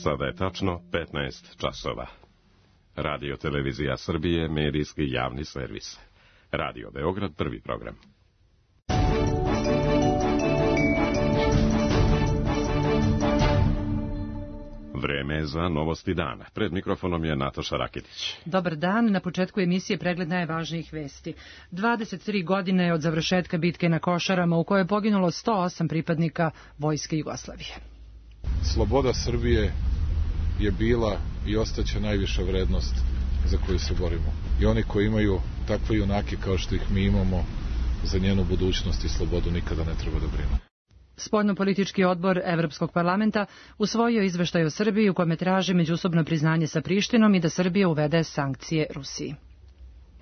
Sada je tačno 15 časova. Radio Televizija Srbije, medijski javni servis. Radio Beograd, prvi program. Vreme za novosti dana. Pred mikrofonom je Nataša Rakitić. Dobar dan. Na početku emisije pregled najvažnijih vesti. 23 godine je od završetka bitke na Košarama u kojoj je poginulo 108 pripadnika Vojske Jugoslavije. Sloboda Srbije je bila i ostaće najviša vrednost za koju se borimo. I oni koji imaju takve junake kao što ih mi imamo, za njenu budućnost i slobodu nikada ne treba da brinu. Spoljnopolitički odbor Evropskog parlamenta usvojio izveštaj o Srbiji u kome traži međusobno priznanje sa Prištinom i da Srbija uvede sankcije Rusiji.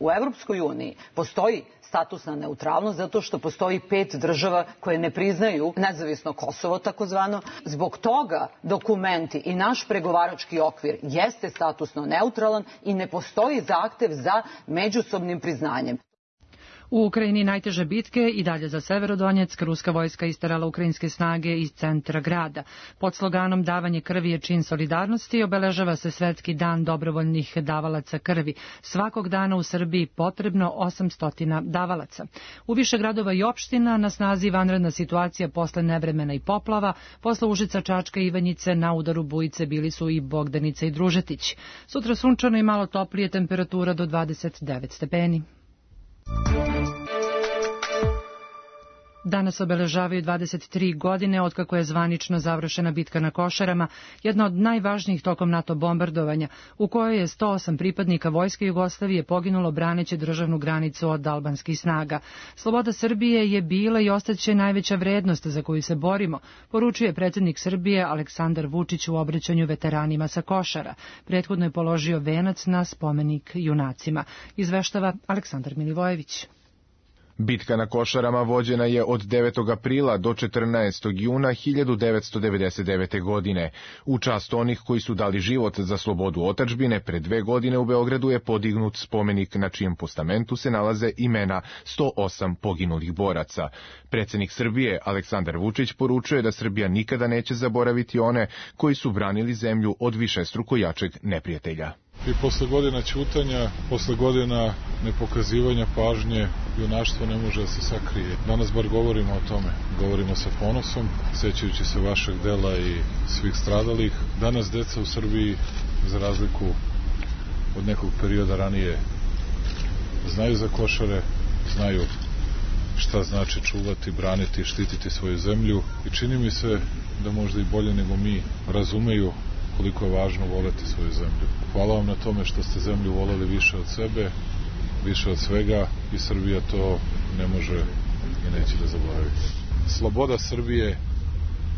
U Evropskoj uniji postoji statusna neutralnost zato što postoji 5 država koje ne priznaju nezavisno Kosovo takozvano. Zbog toga dokumenti i naš pregovarački okvir jeste statusno neutralan i ne postoji zahtev za međusobnim priznanjem. U Ukrajini najteže bitke i dalje za Severodonjeck. Ruska vojska isterala ukrajinske snage iz centra grada. Pod sloganom davanje krvi je čin solidarnosti obeležava se Svetski dan dobrovoljnih davalaca krvi. Svakog dana u Srbiji potrebno 800 davalaca. U više gradova i opština na snazi vanredna situacija posle nevremena i poplava. Posle Užica, Čačka i Ivanjice na udaru bujice bili su i Bogdanica i Družetić. Sutra sunčano i malo toplije, temperatura do 29 stepeni. Danas obeležavaju 23 godine otkako je zvanično završena bitka na Košarama, jedna od najvažnijih tokom NATO bombardovanja, u kojoj je 108 pripadnika Vojske Jugoslavije poginulo braneći državnu granicu od albanskih snaga. Sloboda Srbije je bila i ostaće najveća vrednost za koju se borimo, poručuje predsjednik Srbije Aleksandar Vučić u obraćanju veteranima sa Košara. Prethodno je položio venac na spomenik junacima. Izveštava Aleksandar Milivojević. Bitka na Košarama vođena je od 9. aprila do 14. juna 1999. godine. U čast onih koji su dali život za slobodu otadžbine, pre 2 godine u Beogradu je podignut spomenik na čijem postamentu se nalaze imena 108 poginulih boraca. Predsjednik Srbije Aleksandar Vučić poručuje da Srbija nikada neće zaboraviti one koji su branili zemlju od višestruko jačeg neprijatelja. I posle godina ćutanja, posle godina nepokazivanja pažnje, junaštvo ne može da se sakrije. Danas bar govorimo o tome. Govorimo sa ponosom, sećajući se vašeg dela i svih stradalih. Danas deca u Srbiji, za razliku od nekog perioda ranije, znaju za Košare, znaju šta znači čuvati, braniti, štititi svoju zemlju. I čini mi se da možda i bolje nego mi razumeju koliko je važno voleti svoju zemlju. Hvala vam na tome što ste zemlju voleli više od sebe, više od svega i Srbija to ne može i neće da zaboravi. Sloboda Srbije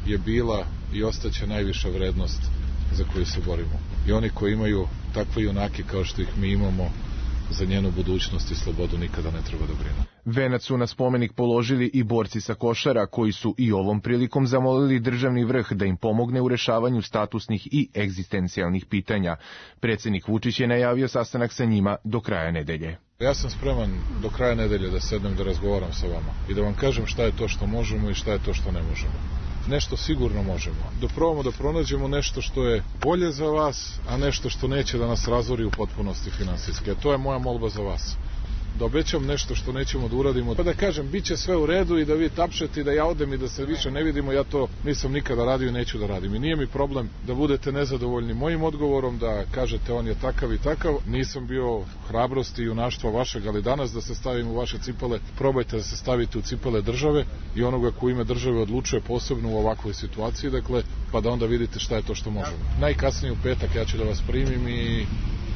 je bila i ostaće najviša vrednost za koju se borimo. I oni koji imaju takve junake kao što ih mi imamo, za njenu budućnost i slobodu nikada ne treba da brinu. Venac su na spomenik položili i borci sa Košara, koji su i ovom prilikom zamolili državni vrh da im pomogne u rešavanju statusnih i egzistencijalnih pitanja. Predsjednik Vučić je najavio sastanak sa njima do kraja nedelje. Ja sam spreman do kraja nedelje da sednem da razgovaram sa vama i da vam kažem šta je to što možemo i šta je to što ne možemo. Nešto sigurno možemo. Da probamo da pronađemo nešto što je bolje za vas, a nešto što neće da nas razori u potpunosti finansijski. To je moja molba za vas. Da obećam nešto što nećemo da uradimo, pa da kažem, bit će sve u redu i da vi tapšete i da ja odem i da se više ne vidimo, ja to nisam nikada radio i neću da radim. I nije mi problem da budete nezadovoljni mojim odgovorom, da kažete on je takav i takav. Nisam bio hrabrosti i junaštva vašeg, ali danas da se stavim u vaše cipele, probajte da se stavite u cipele države i onoga ko ime države odlučuje posebno u ovakvoj situaciji, dakle, pa da onda vidite šta je to što možemo. Najkasnije u petak ja ću da vas primim i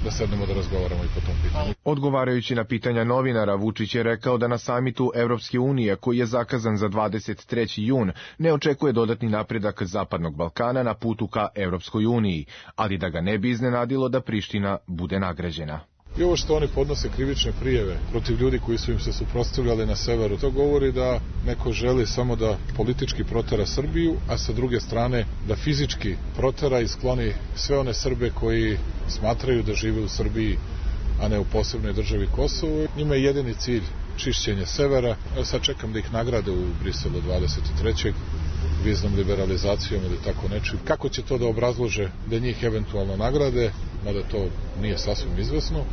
da sednemo da razgovaramo i po tom pitanju. Odgovarajući na pitanja novinara, Vučić je rekao da na samitu Evropske unije, koji je zakazan za 23. jun, ne očekuje dodatni napredak Zapadnog Balkana na putu ka Evropskoj uniji, ali da ga ne bi iznenadilo da Priština bude nagrađena. I ovo što oni podnose krivične prijeve protiv ljudi koji su im se suprotstavljali na severu, to govori da neko želi samo da politički protera Srbiju, a sa druge strane da fizički protera i skloni sve one Srbe koji smatraju da žive u Srbiji, a ne u posebnoj državi Kosovo. Njima je jedini cilj čišćenje severa. Evo sad čekam da ih nagrade u Briselu 23. viznom liberalizacijom ili tako nečim. Kako će to da obrazlože da njih eventualno nagrade, mada to nije sasvim izvesno,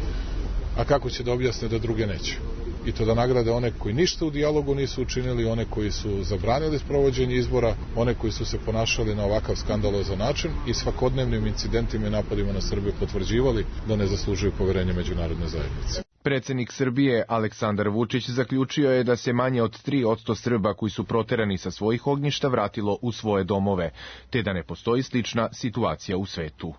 a kako će da objasne da druge neće. I to da nagrade one koji ništa u dijalogu nisu učinili, one koji su zabranili sprovođenje izbora, one koji su se ponašali na ovakav skandalozan način i svakodnevnim incidentima i napadima na Srbiju potvrđivali da ne zaslužuju poverenje međunarodne zajednice. Predsjednik Srbije Aleksandar Vučić zaključio je da se manje od 3% Srba koji su proterani sa svojih ognjišta vratilo u svoje domove, te da ne postoji slična situacija u svetu.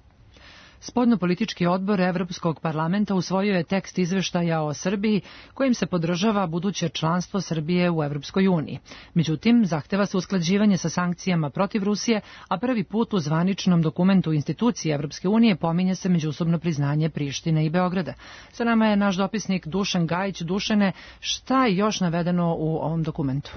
Spoljnopolitički odbor Evropskog parlamenta usvojio je tekst izveštaja o Srbiji kojim se podržava buduće članstvo Srbije u Evropskoj uniji. Međutim, zahteva se usklađivanje sa sankcijama protiv Rusije, a prvi put u zvaničnom dokumentu institucije Evropske unije pominje se međusobno priznanje Prištine i Beograda. Sa nama je naš dopisnik Dušan Gajić. Dušane, šta je još navedeno u ovom dokumentu?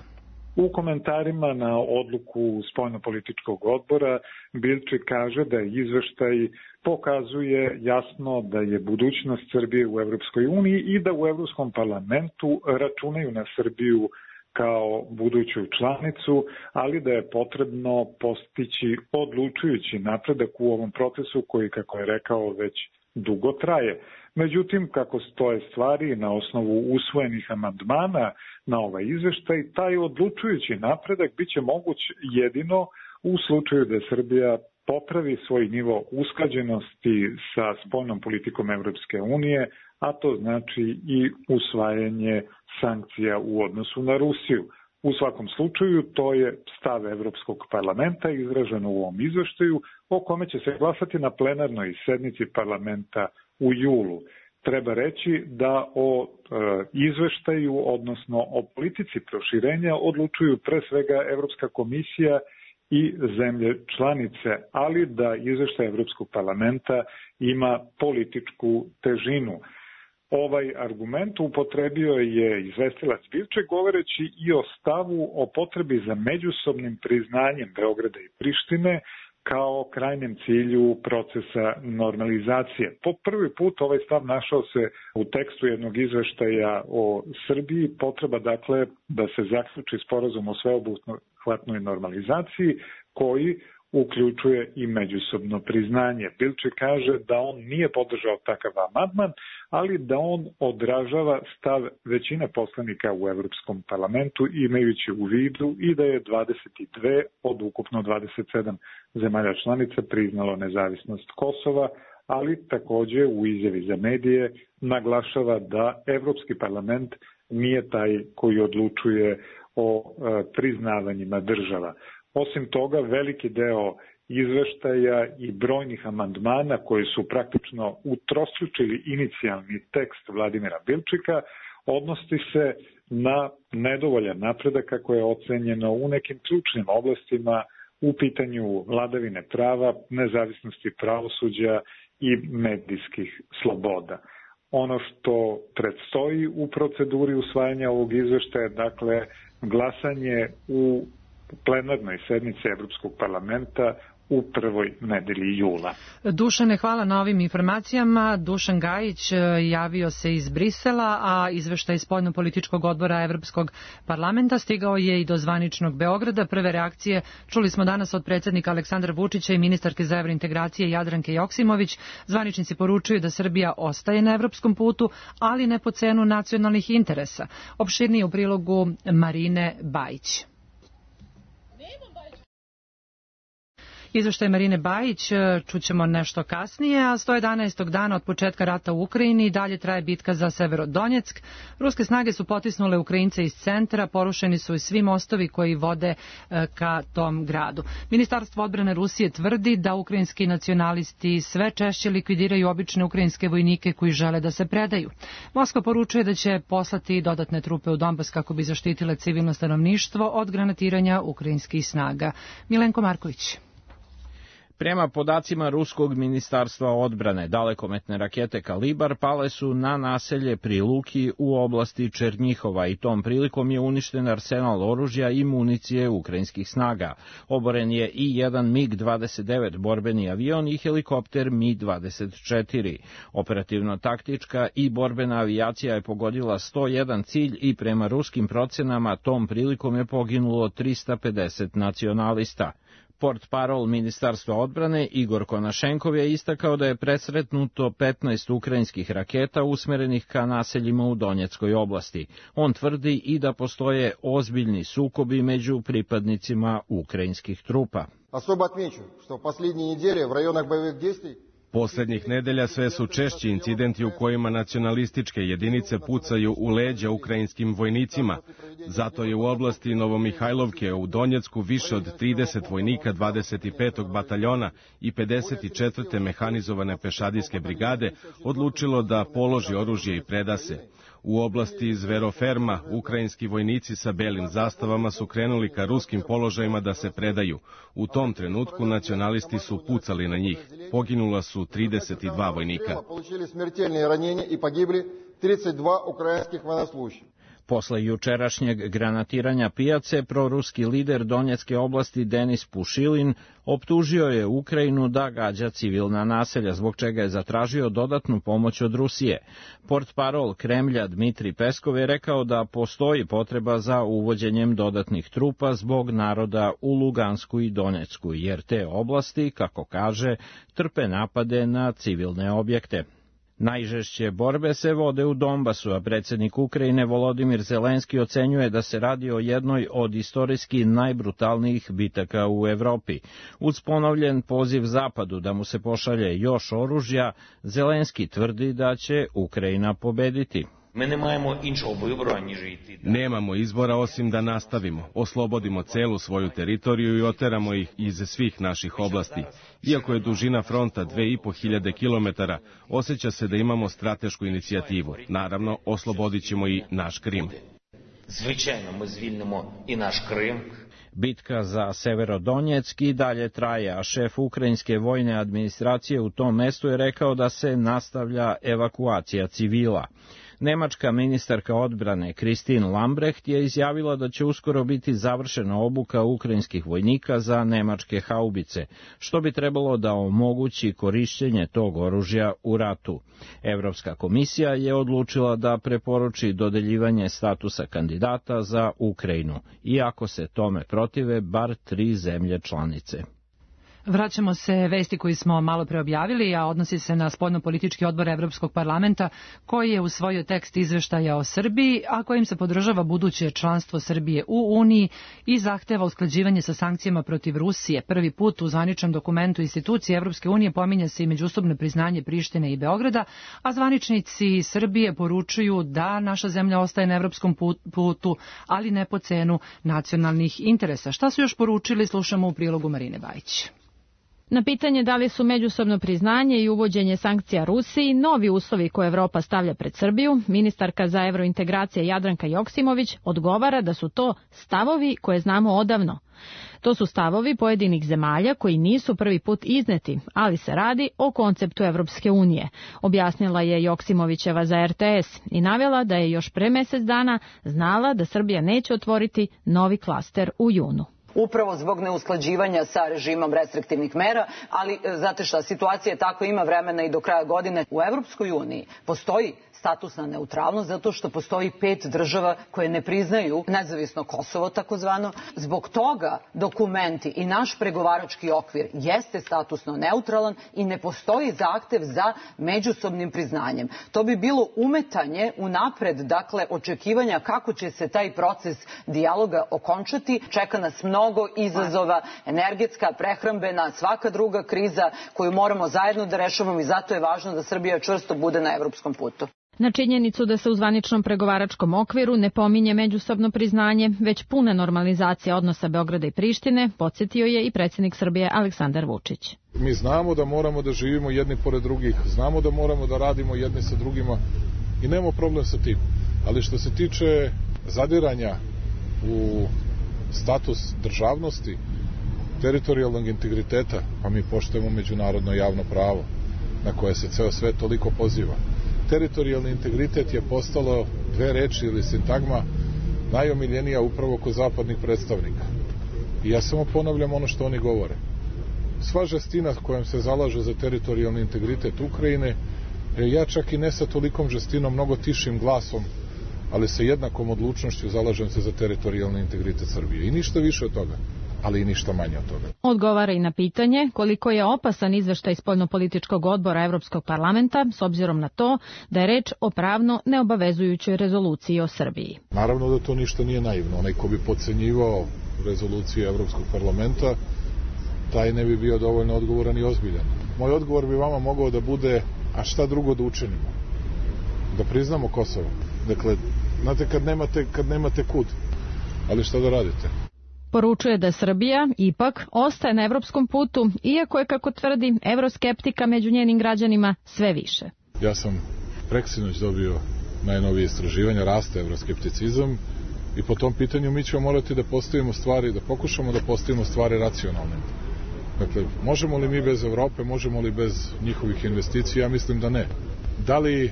U komentarima na odluku Spoljnopolitičkog odbora Bilčik kaže da izveštaj pokazuje jasno da je budućnost Srbije u Evropskoj uniji i da u Evropskom parlamentu računaju na Srbiju kao buduću članicu, ali da je potrebno postići odlučujući napredak u ovom procesu koji, kako je rekao, već dugo traje. Međutim, kako stoje stvari na osnovu usvojenih amandmana na ovaj izveštaj, taj odlučujući napredak biće moguć jedino u slučaju da Srbija popravi svoj nivo usklađenosti sa spoljnom politikom Evropske unije, a to znači i usvajanje sankcija u odnosu na Rusiju. U svakom slučaju, to je stav Evropskog parlamenta izraženo u ovom izveštaju, o kome će se glasati na plenarnoj sednici parlamenta u julu. Treba reći da o izveštaju, odnosno o politici proširenja, odlučuju pre svega Evropska komisija i zemlje članice, ali da izveštaj Evropskog parlamenta ima političku težinu. Ovaj argument upotrebio je izvestilac Bilček govoreći i o stavu o potrebi za međusobnim priznanjem Beograda i Prištine kao krajnjem cilju procesa normalizacije. Po prvi put ovaj stav našao se u tekstu jednog izveštaja o Srbiji, potreba dakle da se zaključi sporazum o sveobuhvatnoj normalizaciji koji uključuje i međusobno priznanje. Bilčik kaže da on nije podržao takav amandman, ali da on odražava stav većine poslanika u Evropskom parlamentu, imajući u vidu i da je 22 od ukupno 27 zemalja članica priznalo nezavisnost Kosova, ali takođe u izjavi za medije naglašava da Evropski parlament nije taj koji odlučuje o priznavanjima država. Osim toga, veliki deo izveštaja i brojnih amandmana koji su praktično utrostručili inicijalni tekst Vladimira Bilčika odnosi se na nedovoljan napredak kako je ocenjeno u nekim ključnim oblastima u pitanju vladavine prava, nezavisnosti pravosuđa i medijskih sloboda. Ono što predstoji u proceduri usvajanja ovog izveštaja, dakle, glasanje u plenarnoj sednici Evropskog parlamenta u prvoj nedelji jula. Dušane, hvala na ovim informacijama. Dušan Gajić javio se iz Brisela, a izveštaj Spoljnopolitičkog odbora Evropskog parlamenta stigao je i do zvaničnog Beograda. Prve reakcije čuli smo danas od predsjednika Aleksandra Vučića i ministarke za evrointegracije Jadranke Joksimović. Zvaničnici poručuju da Srbija ostaje na evropskom putu, ali ne po cenu nacionalnih interesa. Opširnije u prilogu Marine Bajić. Izveštaj Marine Bajić čućemo nešto kasnije, a 111. dana od početka rata u Ukrajini dalje traje bitka za Severodonjeck. Ruske snage su potisnule Ukrajince iz centra, porušeni su i svi mostovi koji vode ka tom gradu. Ministarstvo odbrane Rusije tvrdi da ukrajinski nacionalisti sve češće likvidiraju obične ukrajinske vojnike koji žele da se predaju. Moskva poručuje da će poslati dodatne trupe u Donbas kako bi zaštitile civilno stanovništvo od granatiranja ukrajinskih snaga. Milenko Marković. Prema podacima Ruskog ministarstva odbrane, dalekometne rakete Kalibar pale su na naselje pri Luki u oblasti Černjihova i tom prilikom je uništen arsenal oružja i municije ukrajinskih snaga. Oboren je i jedan MiG-29 borbeni avion i helikopter Mi-24. Operativno-taktička i borbena avijacija je pogodila 101 cilj i prema ruskim procenama tom prilikom je poginulo 350 nacionalista. Portparol Ministarstva odbrane Igor Konašenkov je istakao da je presretnuto 15 ukrajinskih raketa usmerenih ka naseljima u Donjeckoj oblasti. On tvrdi i da postoje ozbiljni sukobi među pripadnicima ukrajinskih trupa. Особо отмечу, что в последние недели в районах боевых действий Poslednjih nedelja sve su češći incidenti u kojima nacionalističke jedinice pucaju u leđa ukrajinskim vojnicima. Zato je u oblasti Novomihajlovke u Donjecku više od 30 vojnika 25. bataljona i 54. mehanizovane pešadijske brigade odlučilo da položi oružje i preda se. U oblasti Zveroferma ukrajinski vojnici sa belim zastavama su krenuli ka ruskim položajima da se predaju. U tom trenutku nacionalisti su pucali na njih. Poginula su 32 vojnika. Posle jučerašnjeg granatiranja pijace, proruski lider Donjecke oblasti Denis Pušilin optužio je Ukrajinu da gađa civilna naselja, zbog čega je zatražio dodatnu pomoć od Rusije. Portparol Kremlja Dmitri Peskov je rekao da postoji potreba za uvođenjem dodatnih trupa zbog naroda u Lugansku i Donjecku, jer te oblasti, kako kaže, trpe napade na civilne objekte. Najžešće borbe se vode u Donbasu, a predsjednik Ukrajine Volodimir Zelenski ocenjuje da se radi o jednoj od istorijski najbrutalnijih bitaka u Evropi. Uz ponovljen poziv Zapadu da mu se pošalje još oružja, Zelenski tvrdi da će Ukrajina pobediti. Nemamo izbora osim da nastavimo, oslobodimo celu svoju teritoriju i oteramo ih iz svih naših oblasti. Iako je dužina fronta 2500 km, osjeća se da imamo stratešku inicijativu. Naravno, oslobodit ćemo i naš Krim. Bitka za Severodonjeck i dalje traje, a šef ukrajinske vojne administracije u tom mestu je rekao da se nastavlja evakuacija civila. Nemačka ministarka odbrane Christine Lambrecht je izjavila da će uskoro biti završena obuka ukrajinskih vojnika za nemačke haubice, što bi trebalo da omogući korišćenje tog oružja u ratu. Evropska komisija je odlučila da preporuči dodeljivanje statusa kandidata za Ukrajinu, iako se tome protive bar 3 zemlje članice. Vraćamo se vesti koju smo malo pre objavili, a odnosi se na spoljnopolitički odbor Evropskog parlamenta, koji je usvojio tekst izveštaja o Srbiji, a kojim se podržava buduće članstvo Srbije u Uniji i zahteva usklađivanje sa sankcijama protiv Rusije. Prvi put u zvaničnom dokumentu institucije Evropske unije pominje se i međusobno priznanje Prištine i Beograda, a zvaničnici Srbije poručuju da naša zemlja ostaje na evropskom putu, ali ne po cenu nacionalnih interesa. Šta su još poručili, slušamo u prilogu Marine Bajić. Na pitanje da li su međusobno priznanje i uvođenje sankcija Rusiji novi uslovi koje Evropa stavlja pred Srbiju, ministarka za evrointegracije Jadranka Joksimović odgovara da su to stavovi koje znamo odavno. To su stavovi pojedinih zemalja koji nisu prvi put izneti, ali se radi o konceptu Evropske unije, objasnila je Joksimovićeva za RTS i navela da je još pre mesec dana znala da Srbija neće otvoriti novi klaster u junu. Upravo zbog neusklađivanja sa režimom restriktivnih mera, ali znate šta, situacija je tako, ima vremena i do kraja godine. U Evropskoj uniji postoji statusna neutralnost zato što postoji 5 država koje ne priznaju nezavisno Kosovo takozvano. Zbog toga dokumenti i naš pregovarački okvir jeste statusno neutralan i ne postoji zahtev za međusobnim priznanjem. To bi bilo umetanje unapred, dakle, očekivanja kako će se taj proces dijaloga okončati. Čeka nas mnogo izazova, energetska, prehrambena, svaka druga kriza koju moramo zajedno da rešavamo i zato je važno da Srbija čvrsto bude na evropskom putu. Na činjenicu da se u zvaničnom pregovaračkom okviru ne pominje međusobno priznanje, već puna normalizacija odnosa Beograda i Prištine, podsjetio je i predsjednik Srbije Aleksandar Vučić. Mi znamo da moramo da živimo jedni pored drugih, znamo da moramo da radimo jedni sa drugima i nemamo problem sa tim. Ali što se tiče zadiranja u status državnosti, teritorijalnog integriteta, pa mi poštujemo međunarodno javno pravo na koje se ceo svet toliko poziva. Teritorijalni integritet je postalo dve reči ili sintagma najomiljenija upravo kod zapadnih predstavnika. I ja samo ponavljam ono što oni govore. Sva žestina kojom se zalažu za teritorijalni integritet Ukrajine, ja čak i ne sa tolikom žestinom, mnogo tišim glasom, ali sa jednakom odlučnošću zalažem se za teritorijalni integritet Srbije. I ništa više od toga, ali i ništa manje od toga. Odgovara i na pitanje koliko je opasan izveštaj spoljnopolitičkog odbora Evropskog parlamenta s obzirom na to da je reč o pravno neobavezujućoj rezoluciji o Srbiji. Naravno da to ništa nije naivno. Onaj ko bi podcenjivao rezoluciju Evropskog parlamenta, taj ne bi bio dovoljno odgovoran i ozbiljan. Moj odgovor bi vama mogao da bude, a šta drugo da učinimo? Da priznamo Kosovo. Dakle, znate kad nemate kud, ali šta da radite? Poručuje da Srbija ipak ostaje na evropskom putu, iako je, kako tvrdi, evroskeptika među njenim građanima sve više. Ja sam preksinoć dobio najnovije istraživanja, raste evroskepticizam i po tom pitanju mi ćemo morati da postavimo stvari, da pokušamo da postavimo stvari racionalne. Dakle, možemo li mi bez Evrope, možemo li bez njihovih investicija? Ja mislim da ne. Da li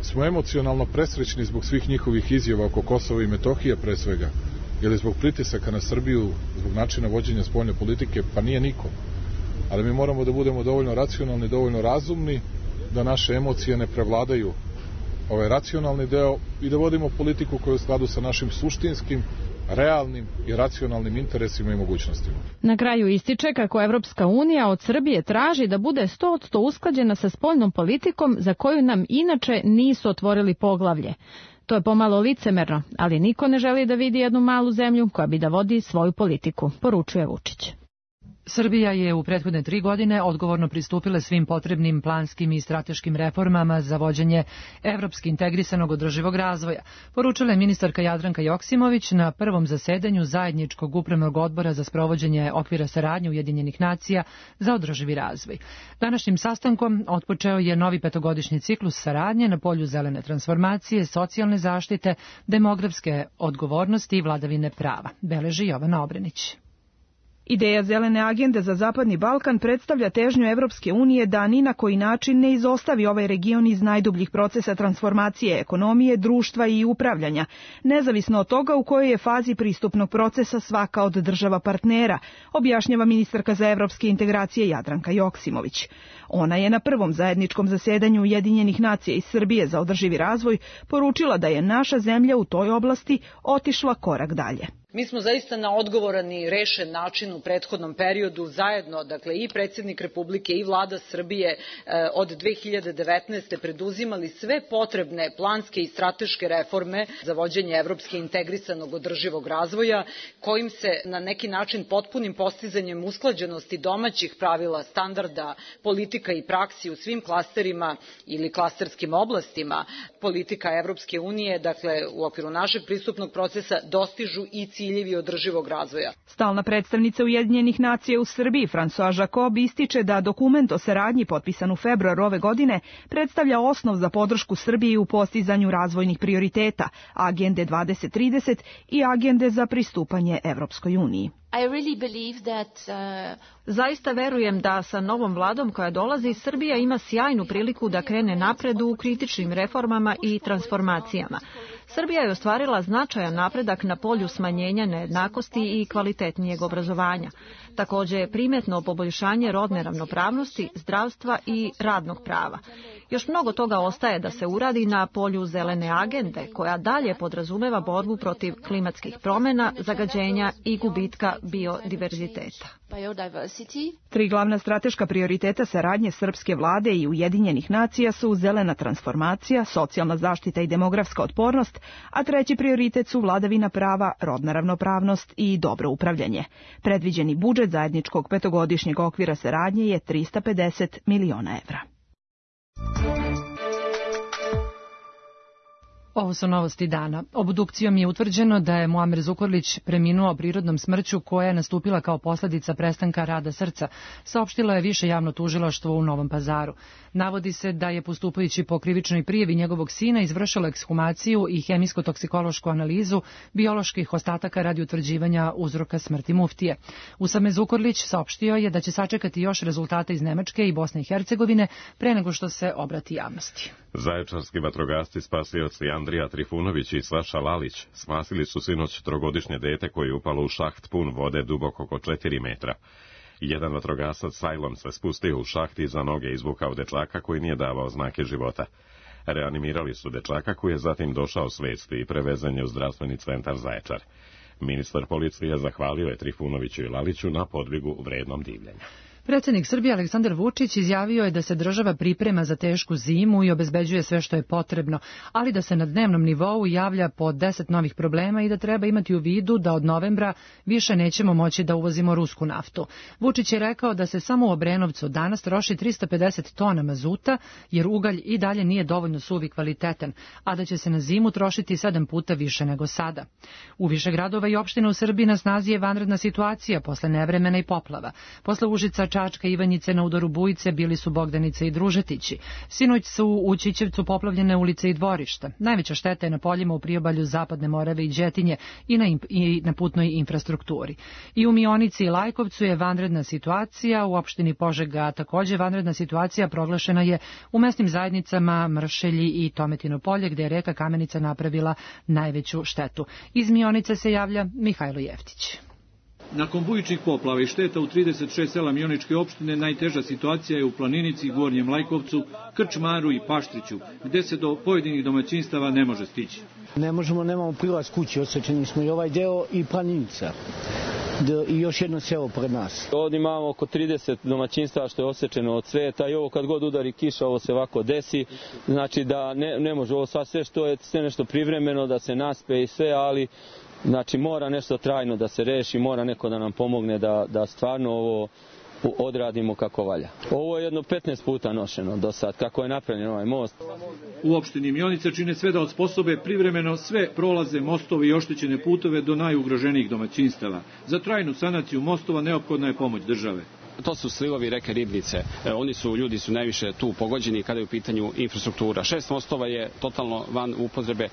smo emocionalno presrećni zbog svih njihovih izjava oko Kosova i Metohije pre svega, ili zbog pritisaka na Srbiju, zbog načina vođenja spoljne politike? Pa nije niko. Ali mi moramo da budemo dovoljno racionalni, dovoljno razumni, da naše emocije ne prevladaju ovaj racionalni deo i da vodimo politiku koja je u skladu sa našim suštinskim, realnim i racionalnim interesima i mogućnostima. Na kraju ističe kako Evropska unija od Srbije traži da bude 100% usklađena sa spoljnom politikom za koju nam inače nisu otvorili poglavlje. To je pomalo licemerno, ali niko ne želi da vidi jednu malu zemlju koja bi da vodi svoju politiku, poručuje Vučić. Srbija je u prethodne 3 godine odgovorno pristupila svim potrebnim planskim i strateškim reformama za vođenje evropski integrisanog održivog razvoja, poručila je ministarka Jadranka Joksimović na prvom zasedanju zajedničkog upravnog odbora za sprovođenje okvira saradnje Ujedinjenih nacija za održivi razvoj. Današnjim sastankom otpočeo je novi 5-godišnji ciklus saradnje na polju zelene transformacije, socijalne zaštite, demografske odgovornosti i vladavine prava, beleži Jovana Obrenić. Ideja zelene agende za Zapadni Balkan predstavlja težnju Evropske unije da ni na koji način ne izostavi ovaj region iz najdubljih procesa transformacije ekonomije, društva i upravljanja, nezavisno od toga u kojoj je fazi pristupnog procesa svaka od država partnera, objašnjava ministarka za evropske integracije Jadranka Joksimović. Ona je na prvom zajedničkom zasedanju Ujedinjenih nacija iz Srbije za održivi razvoj poručila da je naša zemlja u toj oblasti otišla korak dalje. Mi smo zaista na odgovoran i rešen način u prethodnom periodu zajedno, dakle i predsjednik Republike i vlada Srbije od 2019. preduzimali sve potrebne planske i strateške reforme za vođenje evropske integrisanog održivog razvoja, kojim se na neki način potpunim postizanjem usklađenosti domaćih pravila, standarda, politika i praksi u svim klasterima ili klasterskim oblastima politika Evropske unije, dakle u okviru našeg pristupnog procesa dostižu i ciljevi održivog razvoja. Stalna predstavnica Ujedinjenih nacija u Srbiji, François Jacob, ističe da dokument o saradnji potpisan u februaru ove godine predstavlja osnov za podršku Srbiji u postizanju razvojnih prioriteta, agende 2030 i agende za pristupanje Evropskoj uniji. Zaista verujem da sa novom vladom koja dolazi, Srbija ima sjajnu priliku da krene napred u kritičnim reformama i transformacijama. Srbija je ostvarila značajan napredak na polju smanjenja nejednakosti i kvalitetnijeg obrazovanja. Također je primetno poboljšanje rodne ravnopravnosti, zdravstva i radnog prava. Još mnogo toga ostaje da se uradi na polju zelene agende, koja dalje podrazumeva borbu protiv klimatskih promjena, zagađenja i gubitka biodiverziteta. 3 glavna strateška prioriteta saradnje srpske vlade i Ujedinjenih nacija su zelena transformacija, socijalna zaštita i demografska otpornost, a 3. prioritet su vladavina prava, rodna ravnopravnost i dobro upravljanje. Predviđeni budžet zajedničkog 5-godišnjeg okvira saradnje je 350 miliona evra. Ovo su novosti dana. Obdukcijom je utvrđeno da je Muamer Zukorlić preminuo prirodnom smrću koja je nastupila kao posljedica prestanka rada srca, saopštilo je Više javno tužilaštvo u Novom Pazaru. Navodi se da je postupajući po krivičnoj prijavi njegovog sina izvršilo ekshumaciju i hemijsko-toksikološku analizu bioloških ostataka radi utvrđivanja uzroka smrti muftije. Usame Zukorlić saopštio je da će sačekati još rezultate iz Nemačke i Bosne i Hercegovine pre nego što se obrati javnosti. Zaječarski vatrogasci spasioci Andrija Trifunović i Saša Lalić spasili su sinoć trogodišnje dete koje je upalo u šaht pun vode dubok oko 4 metra. Jedan vatrogasac sajlom se spustio u šaht i za noge izvukao dečaka koji nije davao znake života. Reanimirali su dečaka koji je zatim došao svesti i prevezen je u zdravstveni centar Zaječar. Ministar policije zahvalio je Trifunoviću i Laliću na podvigu vrednom divljenja. Predsjednik Srbije Aleksandar Vučić izjavio je da se država priprema za tešku zimu i obezbeđuje sve što je potrebno, ali da se na dnevnom nivou javlja po 10 novih problema i da treba imati u vidu da od novembra više nećemo moći da uvozimo rusku naftu. Vučić je rekao da se samo u Obrenovcu danas troši 350 tona mazuta, jer ugalj i dalje nije dovoljno suv i kvalitetan, a da će se na zimu trošiti 7 puta više nego sada. U više gradova i opština u Srbiji na snazi je vanredna situacija posle nevremena i poplava. Posle Užica, Čačka i Ivanjice na udaru bujice bili su Bogdanice i Družetići. Sinoć su u Ćićevcu poplavljene ulice i dvorišta. Najveća šteta je na poljima u priobalju Zapadne Morave i Đetinje i na putnoj infrastrukturi. I u Mionici i Lajkovcu je vanredna situacija, u opštini Požega također vanredna situacija proglašena je u mesnim zajednicama Mršelji i Tometino polje, gde je reka Kamenica napravila najveću štetu. Iz Mionice se javlja Mihajlo Jeftić. Nakon bujičnih poplava i šteta u 36 sela Mioničke opštine, najteža situacija je u Planinici, Gornjem Lajkovcu, Krčmaru i Paštriću, gde se do pojedinih domaćinstava ne može stići. Ne možemo, nemamo prilaz kući, osjećeni smo i ovaj deo i Planinica. I još jedno selo pred nas. Ovdje imamo oko 30 domaćinstava što je osečeno od sveta i ovo kad god udari kiša, ovo se ovako desi. Znači da ne može, ovo sve što je sve nešto privremeno, da se naspe i sve, ali znači mora nešto trajno da se reši, mora neko da nam pomogne da stvarno ovo odradimo kako valja. Ovo je jedno 15 puta nošeno do sad, kako je napravljen ovaj most. U opštini Mionica čine sve da osposobe privremeno sve prolaze, mostove i oštećene putove do najugroženijih domaćinstava. Za trajnu sanaciju mostova neophodna je pomoć države. To su slivovi reke Ribnice. Ljudi su najviše tu pogođeni kada je u pitanju infrastruktura. 6 mostova je totalno van upotrebe.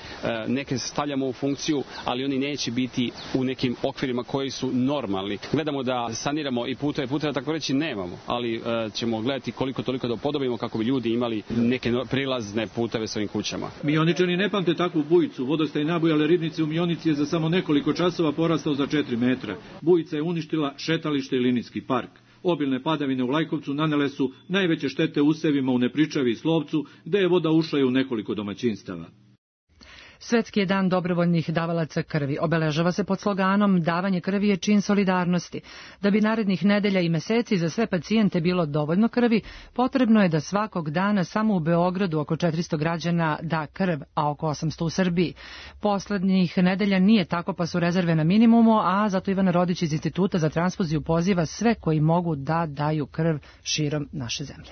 Neke stavljamo u funkciju, ali oni neće biti u nekim okvirima koji su normalni. Gledamo da saniramo i puteve tako reći nemamo, ali ćemo gledati koliko toliko da upodobimo kako bi ljudi imali neke prilazne puteve svojim kućama. Mioničani ne pamte takvu bujicu. Vodostaj nabujale Ribnice u Mionici je za samo nekoliko časova porastao za 4 metra. Bujica je uništila šetalište i linijski park. Obilne padavine u Lajkovcu nanele su najveće štete usevima u Nepričavi i Slovcu, gde je voda ušla i u nekoliko domaćinstava. Svetski je dan dobrovoljnih davalaca krvi. Obeležava se pod sloganom davanje krvi je čin solidarnosti. Da bi narednih nedelja i meseci za sve pacijente bilo dovoljno krvi, potrebno je da svakog dana samo u Beogradu oko 400 građana da krv, a oko 800 u Srbiji. Poslednjih nedelja nije tako, pa su rezerve na minimumu, a zato Ivana Rodić iz Instituta za transfuziju poziva sve koji mogu da daju krv širom naše zemlje.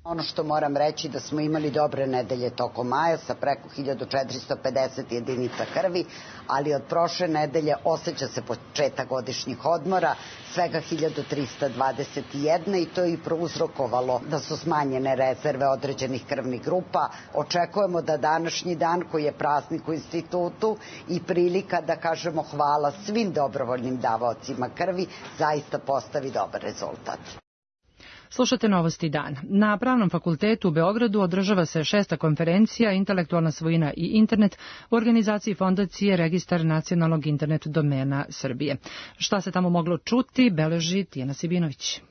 Ono što moram reći da smo imali dobre nedelje tokom maja sa preko 1450 jedinica krvi, ali od prošle nedelje osjeća se početak godišnjih odmora, svega 1321 i to je i prouzrokovalo da su smanjene rezerve određenih krvnih grupa. Očekujemo da današnji dan koji je praznik u institutu i prilika da kažemo hvala svim dobrovoljnim davaocima krvi zaista postavi dobar rezultat. Slušate Novosti dan. Na Pravnom fakultetu u Beogradu održava se 6. konferencija Intelektualna svojina i internet u organizaciji fondacije Registar nacionalnog internet domena Srbije. Šta se tamo moglo čuti, beleži Tijana Sibinović.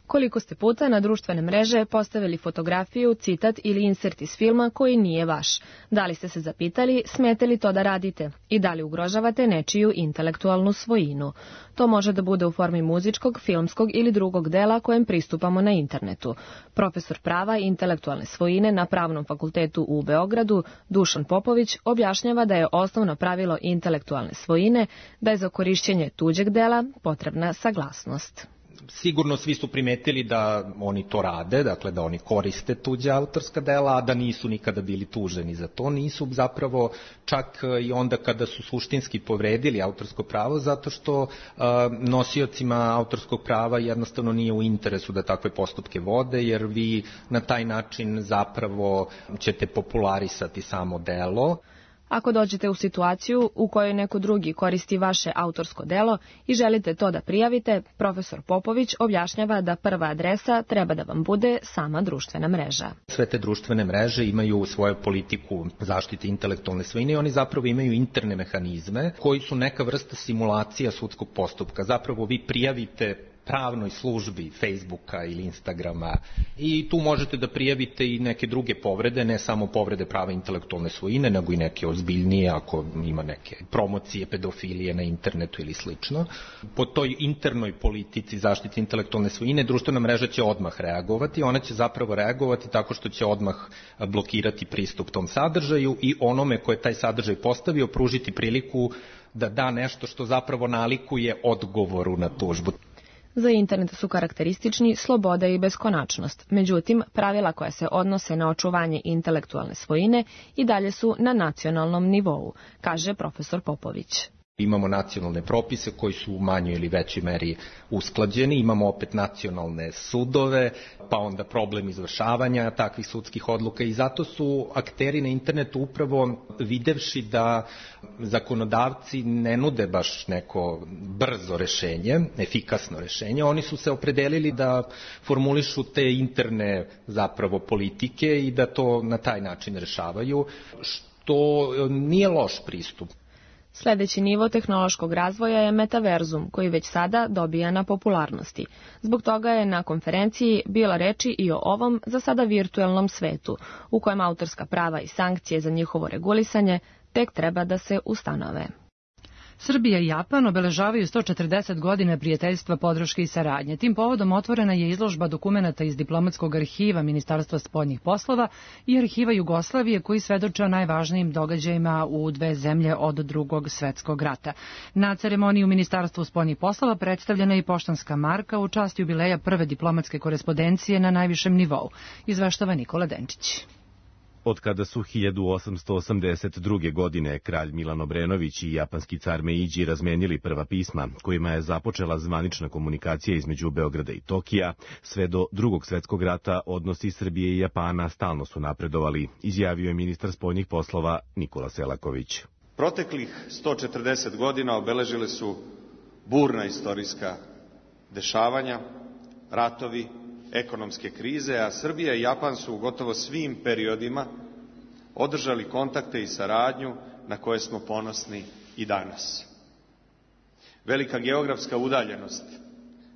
Koliko ste puta na društvene mreže postavili fotografiju, citat ili insert iz filma koji nije vaš? Da li ste se zapitali, smete li to da radite? I da li ugrožavate nečiju intelektualnu svojinu? To može da bude u formi muzičkog, filmskog ili drugog dela kojem pristupamo na internetu. Profesor prava i intelektualne svojine na Pravnom fakultetu u Beogradu, Dušan Popović, objašnjava da je osnovno pravilo intelektualne svojine da je za korišćenje tuđeg dela potrebna saglasnost. sigurno svi su primetili da oni to rade, dakle da oni koriste tuđa autorska dela, a da nisu nikada bili tuženi za to. Nisu zapravo čak i onda kada su suštinski povredili autorsko pravo, zato što nosiocima autorskog prava jednostavno nije u interesu da takve postupke vode, jer vi na taj način zapravo ćete popularisati samo delo. Ako dođete u situaciju u kojoj neko drugi koristi vaše autorsko delo i želite to da prijavite, profesor Popović objašnjava da prva adresa treba da vam bude sama društvena mreža. Sve te društvene mreže imaju svoju politiku zaštite intelektualne svojine i oni zapravo imaju interne mehanizme koji su neka vrsta simulacija sudskog postupka. Zapravo vi prijavite pravnoj službi Facebooka ili Instagrama i tu možete da prijavite i neke druge povrede, ne samo povrede prava intelektualne svojine, nego i neke ozbiljnije ako ima neke promocije pedofilije na internetu ili slično. Po toj internoj politici zaštite intelektualne svojine društvena mreža će odmah reagovati, ona će zapravo reagovati tako što će odmah blokirati pristup tom sadržaju i onome ko je taj sadržaj postavio pružiti priliku da da nešto što zapravo nalikuje odgovoru na tužbu. Za internet su karakteristični sloboda i beskonačnost. Međutim, pravila koja se odnose na očuvanje intelektualne svojine i dalje su na nacionalnom nivou, kaže profesor Popović. Imamo nacionalne propise koji su u manjoj ili većoj meri usklađeni, imamo opet nacionalne sudove, pa onda problem izvršavanja takvih sudskih odluka i zato su akteri na internetu upravo videvši da zakonodavci ne nude baš neko brzo rešenje, efikasno rešenje, oni su se opredelili da formulišu te interne zapravo politike i da to na taj način rešavaju, što nije loš pristup. Sljedeći nivo tehnološkog razvoja je metaverzum, koji već sada dobija na popularnosti. Zbog toga je na konferenciji bila reči i o ovom za sada virtuelnom svetu, u kojem autorska prava i sankcije za njihovo regulisanje tek treba da se ustanove. Srbija i Japan obeležavaju 140 godina prijateljstva, podrške i saradnje. Tim povodom otvorena je izložba dokumenata iz diplomatskog arhiva Ministarstva spoljnih poslova i arhiva Jugoslavije koji svedoče o najvažnijim događajima u dve zemlje od Drugog svetskog rata. Na ceremoniji u Ministarstvu spoljnih poslova predstavljena je i poštanska marka u čast jubileja prve diplomatske korespondencije na najvišem nivou. Izveštava Nikola Denčić. Od kada su 1882. godine kralj Milan Obrenović i japanski car Meidži razmenili prva pisma, kojima je započela zvanična komunikacija između Beograda i Tokija, sve do Drugog svetskog rata odnosi Srbije i Japana stalno su napredovali, izjavio je ministar spoljnih poslova Nikola Selaković. Proteklih 140 godina obeležile su burna istorijska dešavanja, ratovi, ekonomske krize, a Srbija i Japan su u gotovo svim periodima održali kontakte i saradnju na koje smo ponosni i danas. Velika geografska udaljenost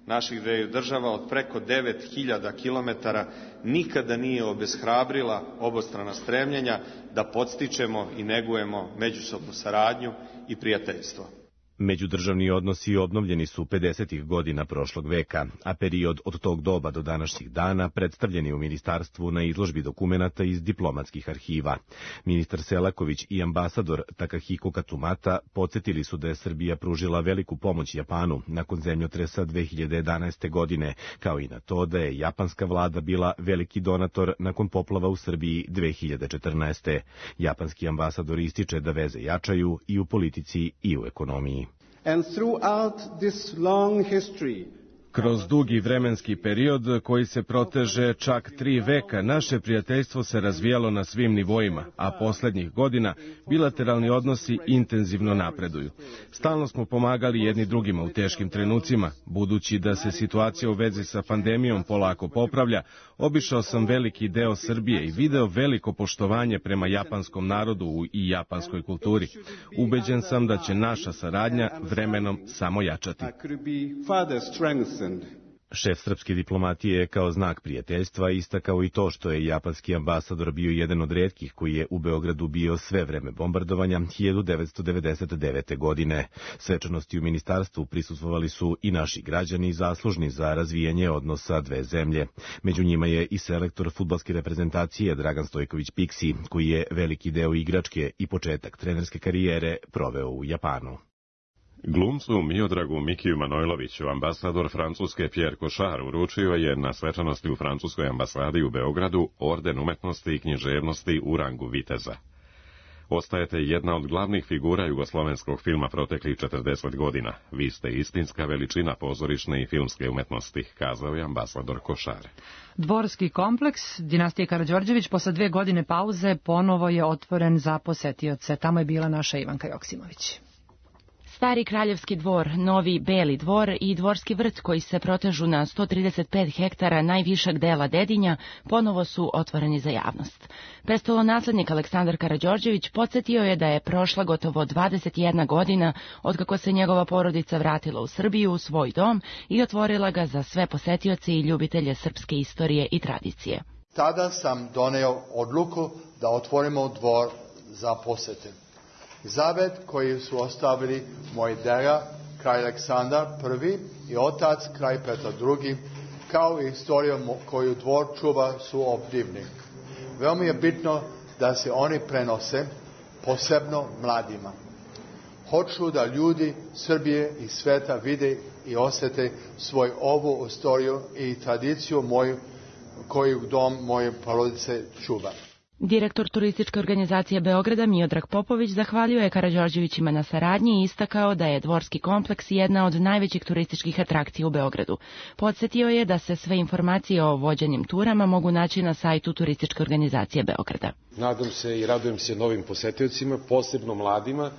naših dveju država od preko 9000 kilometara nikada nije obeshrabrila obostrana stremljenja da podstičemo i negujemo međusobnu saradnju i prijateljstvo. Međudržavni odnosi obnovljeni su 50. godina prošlog veka, a period od tog doba do današnjih dana predstavljen je u ministarstvu na izložbi dokumenata iz diplomatskih arhiva. Ministar Selaković i ambasador Takahiko Katsumata podsjetili su da je Srbija pružila veliku pomoć Japanu nakon zemljotresa 2011. godine, kao i na to da je japanska vlada bila veliki donator nakon poplava u Srbiji 2014. Japanski ambasador ističe da veze jačaju i u politici i u ekonomiji. And throughout this long history, kroz dugi vremenski period koji se proteže čak 3 veka, naše prijateljstvo se razvijalo na svim nivoima, a poslednjih godina bilateralni odnosi intenzivno napreduju. Stalno smo pomagali jedni drugima u teškim trenucima. Budući da se situacija u vezi sa pandemijom polako popravlja, obišao sam veliki deo Srbije i video veliko poštovanje prema japanskom narodu i japanskoj kulturi. Ubeđen sam da će naša saradnja vremenom samo jačati. Šef srpske diplomatije je kao znak prijateljstva istakao i to što je japanski ambasador bio jedan od retkih koji je u Beogradu bio sve vreme bombardovanja 1999. godine. Svečanosti u ministarstvu prisustvovali su i naši građani zaslužni za razvijanje odnosa dve zemlje. Među njima je i selektor fudbalske reprezentacije Dragan Stojković Piksi, koji je veliki deo igračke i početak trenerske karijere proveo u Japanu. Glumcu Miodragu Mikiju Manojloviću ambasador Francuske Pierre Cochard uručio je na svečanosti u Francuskoj ambasadi u Beogradu orden umetnosti i književnosti u rangu viteza. Ostajete jedna od glavnih figura jugoslovenskog filma proteklih 40 godina. Vi ste istinska veličina pozorišne i filmske umetnosti, kazao je ambasador Cochard. Dvorski kompleks dinastije Karađorđević posle 2 godine pauze ponovo je otvoren za posetioce. Tamo je bila naša Ivanka Joksimović. Stari kraljevski dvor, novi Beli dvor i dvorski vrt koji se protežu na 135 hektara najvišeg dela Dedinja ponovo su otvoreni za javnost. Prestolonaslednik Aleksandar Karađorđević podsjetio je da je prošla gotovo 21 godina otkako se njegova porodica vratila u Srbiju u svoj dom i otvorila ga za sve posetioce i ljubitelje srpske istorije i tradicije. Tada sam doneo odluku da otvorimo dvor za posete. Zavet koji su ostavili moj deda, kralj Aleksandar I i otac, kralj Petar II, kao i istorija koju dvor čuva su obdivni. Veoma je bitno da se oni prenose, posebno mladima. Hoću da ljudi Srbije i sveta vide i osjete svoju ovu istoriju i tradiciju moju, koju dom moje porodice čuva. Direktor turističke organizacije Beograda Miodrag Popović zahvalio je Karađorđevićima na saradnji i istakao da je dvorski kompleks jedna od najvećih turističkih atrakcija u Beogradu. Podsjetio je da se sve informacije o vođenim turama mogu naći na sajtu turističke organizacije Beograda. Nadam se i radujem se novim posetiocima, posebno mladima.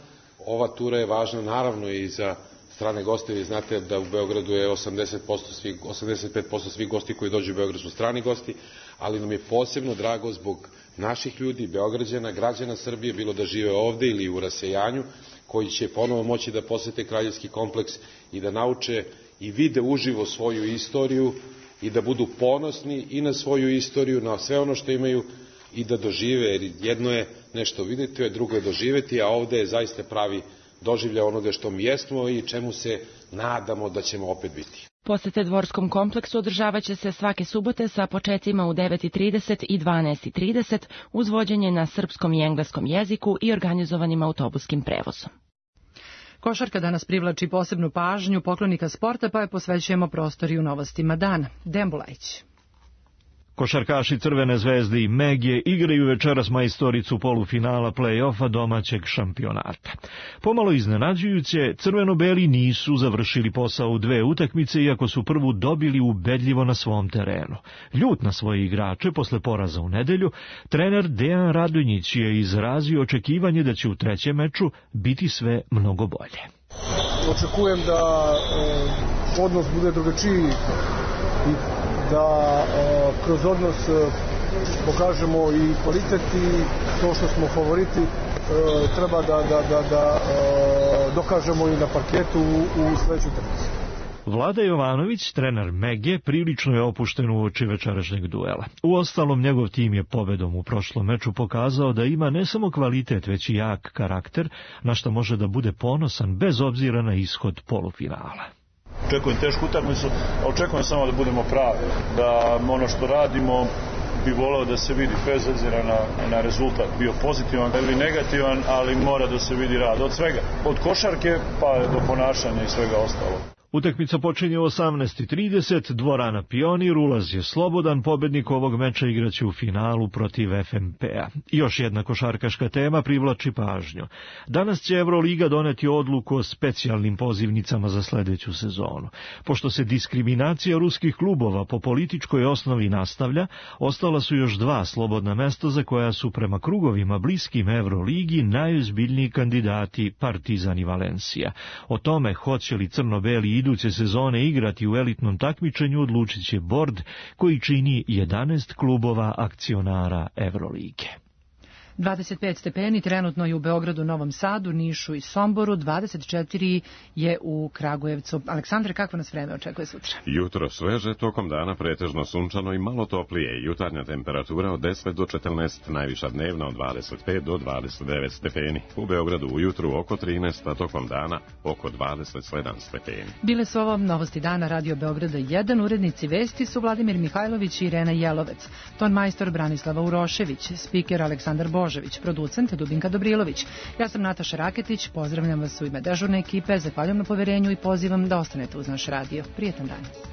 Ova tura je važna naravno i za strane goste. Vi znate da u Beogradu je 85% svih gosti koji dođu u Beograd su strani gosti, ali nam je posebno drago zbog naših ljudi, Beograđana, građana Srbije, bilo da žive ovde ili u rasejanju, koji će ponovo moći da posete kraljevski kompleks i da nauče i vide uživo svoju istoriju i da budu ponosni i na svoju istoriju, na sve ono što imaju i da dožive, jer jedno je nešto vidjeti, a drugo je doživeti, a ovde je zaista pravi doživlja onoga što mi jesmo i čemu se nadamo da ćemo opet biti. Posete dvorskom kompleksu održavat će se svake subote sa počecima u 9:30 i 12:30 uz vođenje na srpskom i engleskom jeziku i organizovanim autobuskim prevozom. Košarka danas privlači posebnu pažnju poklonika sporta, pa je posvećujemo prostoriju novostima dana. Dejan Bulajić. Košarkaši Crvene zvezde i Megije igraju večeras majstoricu polufinala play-offa domaćeg šampionata. Pomalo iznenađujuće, crveno-beli nisu završili posao u 2 utakmice, iako su prvu dobili ubedljivo na svom terenu. Ljut na svoje igrače posle poraza u nedelju, trener Dejan Radonjić je izrazio očekivanje da će u 3. meču biti sve mnogo bolje. Očekujem da odnos bude drugačiji i da kroz odnos pokažemo i kvalitet i to što smo favoriti treba da dokažemo i na parketu u sledećoj utakmici. Vlada Jovanović, trener Mege, prilično je opušten uoči večerašnjeg duela. Uostalom, njegov tim je pobedom u prošlom meču pokazao da ima ne samo kvalitet, već i jak karakter, na što može da bude ponosan bez obzira na ishod polufinala. Očekujem tešku utakmicu, a očekujem samo da budemo pravi, da ono što radimo bi voleo da se vidi, bez obzira na rezultat, bio pozitivan ili negativan, ali mora da se vidi rad od svega, od košarke pa do ponašanja i svega ostalog. Utakmica počinje u 18:30, dvorana Pionir, ulaz je slobodan, pobednik ovog meča igraće u finalu protiv FNP-a. Još jedna košarkaška tema privlači pažnju. Danas će Evroliga doneti odluku o specijalnim pozivnicama za sledeću sezonu. Pošto se diskriminacija ruskih klubova po političkoj osnovi nastavlja, ostala su još 2 slobodna mesta za koja su prema krugovima bliskim Evroligi najozbiljniji kandidati Partizan i Valencija. O tome hoće li crno-beli iduće sezone igrati u elitnom takmičenju odlučit će bord koji čini 11 klubova akcionara Evrolige. 25 stepeni trenutno je u Beogradu, Novom Sadu, Nišu i Somboru, 24 je u Kragujevcu. Aleksandre, kako nas vreme očekuje sutra? Jutro sveže, tokom dana pretežno sunčano i malo toplije. Jutarnja temperatura od 10 do 14, najviša dnevna od 25 do 29 stepeni. U Beogradu ujutru oko 13, a tokom dana oko 27 stepeni. Bile su ovo novosti dana Radio Beograda 1, urednici vesti su Vladimir Mihajlović i Irena Jelovec, ton majstor Branislava Urošević, spiker Aleksandar Božić, Božević, producent Dubinka Dobrilović. Ja sam Nataša Raketić, pozdravljam vas u ime dežurne ekipe, zahvaljujem na poverenju i pozivam da ostanete uz naš radio. Prijetan dan.